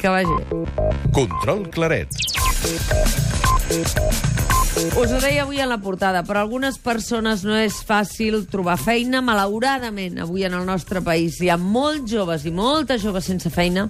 Que vagi bé. Control Claret. Us ho deia avui en la portada, per a algunes persones no és fàcil trobar feina, malauradament, avui en el nostre país. Hi ha molts joves i moltes joves sense feina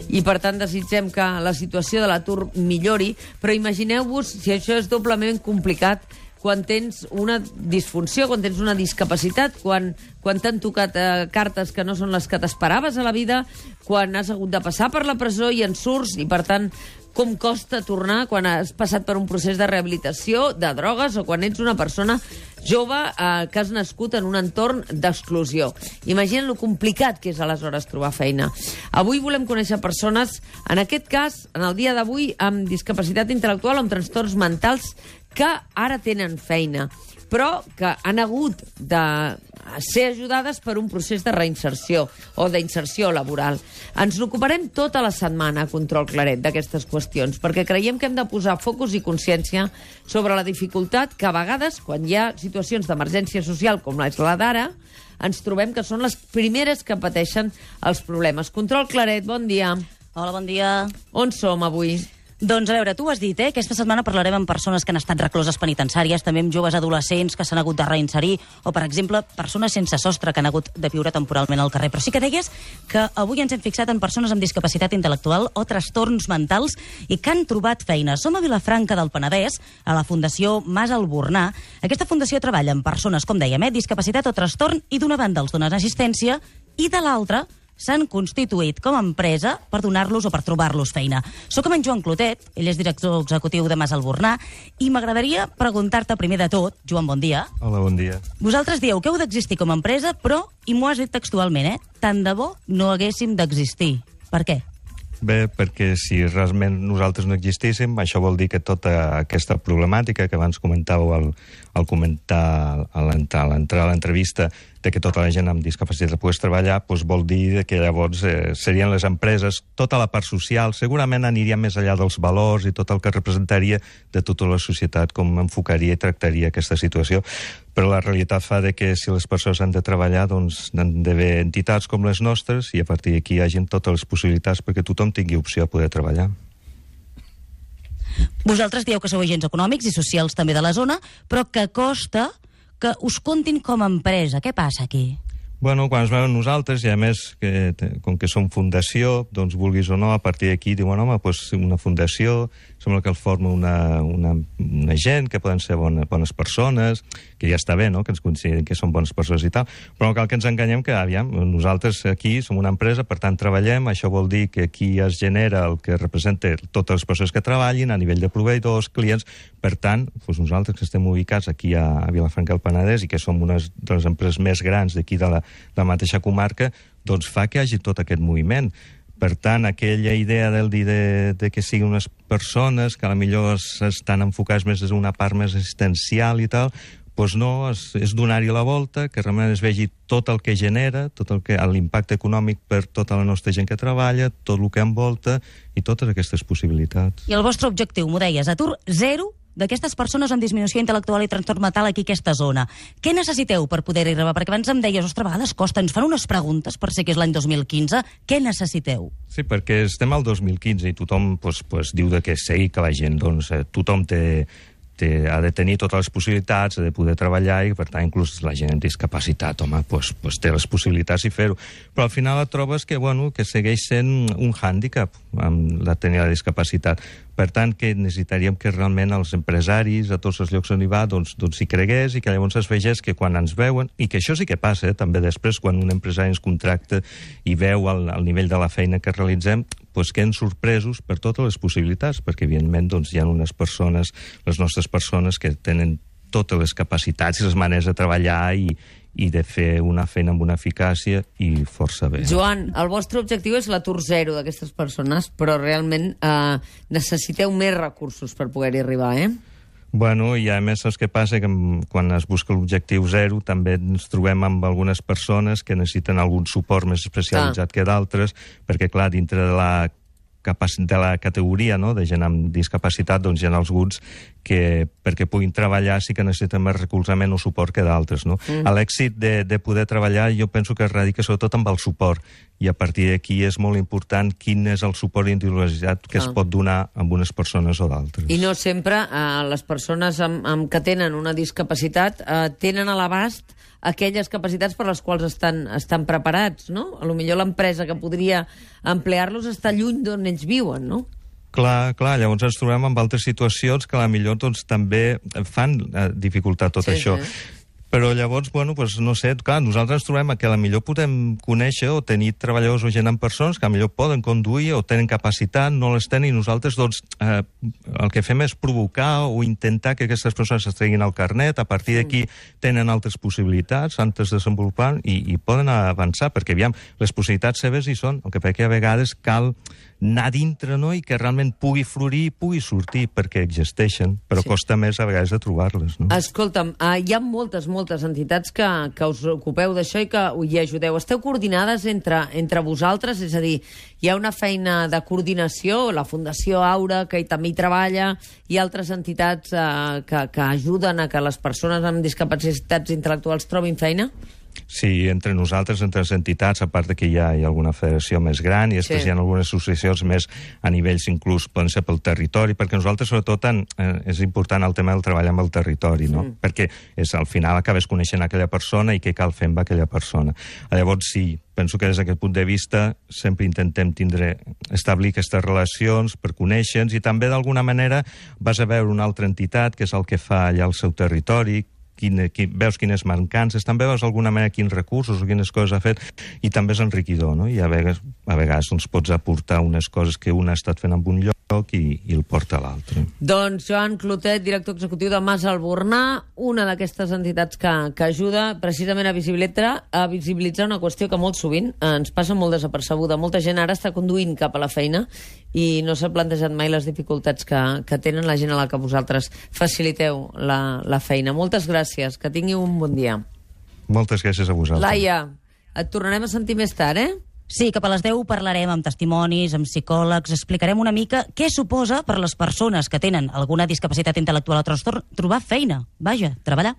i, per tant, desitgem que la situació de l'atur millori, però imagineu-vos si això és doblement complicat quan tens una disfunció, quan tens una discapacitat, quan t'han tocat cartes que no són les que t'esperaves a la vida, quan has hagut de passar per la presó i en surts, i, per tant, com costa tornar quan has passat per un procés de rehabilitació, de drogues, o quan ets una persona jove que has nascut en un entorn d'exclusió. Imagina't lo complicat que és aleshores trobar feina. Avui volem conèixer persones, en aquest cas, en el dia d'avui, amb discapacitat intel·lectual o amb trastorns mentals que ara tenen feina, però que han hagut de ser ajudades per un procés de reinserció o d'inserció laboral. Ens n'ocuparem tota la setmana a Control Claret d'aquestes qüestions, perquè creiem que hem de posar focus i consciència sobre la dificultat que a vegades, quan hi ha situacions d'emergència social com és la d'ara, ens trobem que són les primeres que pateixen els problemes. Control Claret, bon dia. Hola, bon dia. On som avui? Doncs a veure, tu ho has dit, aquesta setmana parlarem amb persones que han estat recloses penitenciàries, també amb joves adolescents que s'han hagut de reinserir, o, per exemple, persones sense sostre que han hagut de viure temporalment al carrer. Però sí que deies que avui ens hem fixat en persones amb discapacitat intel·lectual o trastorns mentals i que han trobat feina. Som a Vilafranca del Penedès, a la Fundació Mas Albornà. Aquesta fundació treballa amb persones, com dèiem, discapacitat o trastorn, i d'una banda els donen assistència i de l'altra s'han constituït com a empresa per donar-los o per trobar-los feina. Soc amb en Joan Clotet, ell és director executiu de Mas Albornà, i m'agradaria preguntar-te primer de tot, Joan, bon dia. Hola, bon dia. Vosaltres dieu que heu d'existir com a empresa, però, i m'ho has dit textualment, tant de bo no haguéssim d'existir. Per què? Bé, perquè si realment nosaltres no existíssim, això vol dir que tota aquesta problemàtica que abans comentàveu al comentar a l'entrar a l'entrevista, de que tota la gent amb discapacitat pogués treballar, doncs vol dir que llavors serien les empreses, tota la part social, segurament aniria més enllà dels valors i tot el que representaria de tota la societat, com enfocaria i tractaria aquesta situació. Però la realitat fa de que si les persones han de treballar, doncs han d'haver entitats com les nostres i a partir d'aquí hi hagin totes les possibilitats perquè tothom tingui opció a poder treballar. Vosaltres dieu que sou agents econòmics i socials també de la zona, però que costa que us comptin com a empresa. Què passa aquí? Bueno, quan es veuen nosaltres, i a més, com que som fundació, doncs vulguis o no, a partir d'aquí diuen, home, doncs una fundació, sembla que el forma una gent, que poden ser bones persones, que ja està bé, no?, que ens considerin que són bones persones i tal, però no cal que ens enganyem que, aviam, nosaltres aquí som una empresa, per tant treballem, això vol dir que aquí es genera el que representa totes les persones que treballin a nivell de proveïdors, clients, per tant, doncs nosaltres que estem ubicats aquí a Vilafranca del Penedès i que som una de les empreses més grans d'aquí de la mateixa comarca, doncs fa que hi hagi tot aquest moviment. Per tant, aquella idea de que siguin unes persones que potser estan enfocades més des d'una part més assistencial i tal, doncs no, és donar-hi la volta, que realment es vegi tot el que genera, tot l'impacte econòmic per tota la nostra gent que treballa, tot el que envolta i totes aquestes possibilitats. I el vostre objectiu, m'ho deies, atur zero d'aquestes persones amb disminució intel·lectual i trastorn mental aquí a aquesta zona. Què necessiteu per poder-hi arribar? Perquè abans em deies, ostres, a vegades costa, ens fan unes preguntes per ser que és l'any 2015. Què necessiteu? Sí, perquè estem al 2015 i tothom diu que sí, que la gent, tothom ha de tenir totes les possibilitats, ha de poder treballar i, per tant, inclús la gent amb discapacitat, home, té les possibilitats i fer-ho. Però al final et trobes que segueix sent un hàndicap tenir la discapacitat. Per tant, que necessitaríem que realment els empresaris a tots els llocs on hi va s'hi cregués i que llavors es vegés que quan ens veuen, i que això sí que passa, també després, quan un empresari ens contracta i veu el nivell de la feina que realitzem, queden sorpresos per totes les possibilitats, perquè evidentment hi ha unes persones, les nostres persones, que tenen totes les capacitats i les maneres de treballar i de fer una feina amb una eficàcia i força bé. Joan, el vostre objectiu és l'atur zero d'aquestes persones, però realment necessiteu més recursos per poder-hi arribar, Bueno, i a més saps què passa? Que quan es busca l'objectiu zero també ens trobem amb algunes persones que necessiten algun suport més especialitzat que d'altres, perquè clar, dintre de la categoria, no?, de gent amb discapacitat, hi ha alguns perquè puguin treballar sí que necessiten més recolzament o suport que d'altres, no? L'èxit de poder treballar jo penso que es radica sobretot amb el suport, i a partir d'aquí és molt important quin és el suport individualitzat que es pot donar a unes persones o d'altres. I no sempre les persones que tenen una discapacitat tenen a l'abast aquelles capacitats per les quals estan preparats, no? A lo millor l'empresa que podria emplear-los està lluny d'on ells viuen, no? Clar, llavors ens trobem amb altres situacions que potser doncs, també fan dificultar tot això. Sí. Però llavors, bueno, pues, no sé, clar, nosaltres ens trobem que potser podem conèixer o tenir treballadors o gent amb persones que potser poden conduir o tenen capacitat, no les tenen, i nosaltres, doncs, el que fem és provocar o intentar que aquestes persones es treguin el carnet, a partir d'aquí tenen altres possibilitats, altres desenvolupant, i poden avançar, perquè, aviam, les possibilitats seves hi són, el que passa que a vegades cal anar dintre, no?, i que realment pugui florir i pugui sortir, perquè existeixen, però costa més a vegades de trobar-les, no? Escolta'm, hi ha moltes entitats que us ocupeu d'això i que hi ajudeu. Esteu coordinades entre vosaltres? És a dir, hi ha una feina de coordinació, la Fundació Aura, que també hi treballa, i altres entitats que ajuden a que les persones amb discapacitats intel·lectuals trobin feina? Sí, entre nosaltres, entre les entitats, a part que hi ha alguna federació més gran, i després hi ha algunes associacions més a nivells inclús, poden ser pel territori, perquè nosaltres, sobretot, és important el tema del treball amb el territori, no? Perquè al final acabes coneixent aquella persona i què cal fer amb aquella persona. Llavors, sí, penso que des d'aquest punt de vista sempre intentem establir aquestes relacions per conèixer-nos, i també, d'alguna manera, vas a veure una altra entitat, que és el que fa allà al seu territori, veus quines mancances, també veus d'alguna manera quins recursos o quines coses ha fet, i també és enriquidor, no? I a vegades doncs, pots aportar unes coses que un ha estat fent en un lloc i el porta a l'altre. Doncs Joan Clotet, director executiu de Mas Albornà, una d'aquestes entitats que ajuda precisament a visibilitzar una qüestió que molt sovint ens passa molt desapercebuda. Molta gent ara està conduint cap a la feina i no s'ha plantejat mai les dificultats que tenen la gent a la que vosaltres faciliteu la feina. Moltes gràcies, que tingui un bon dia. Moltes gràcies a vosaltres. Laia, et tornarem a sentir més tard, Sí, cap a les 10 parlarem amb testimonis, amb psicòlegs, explicarem una mica què suposa per les persones que tenen alguna discapacitat intel·lectual o trastorn trobar feina. Vaja, treballar.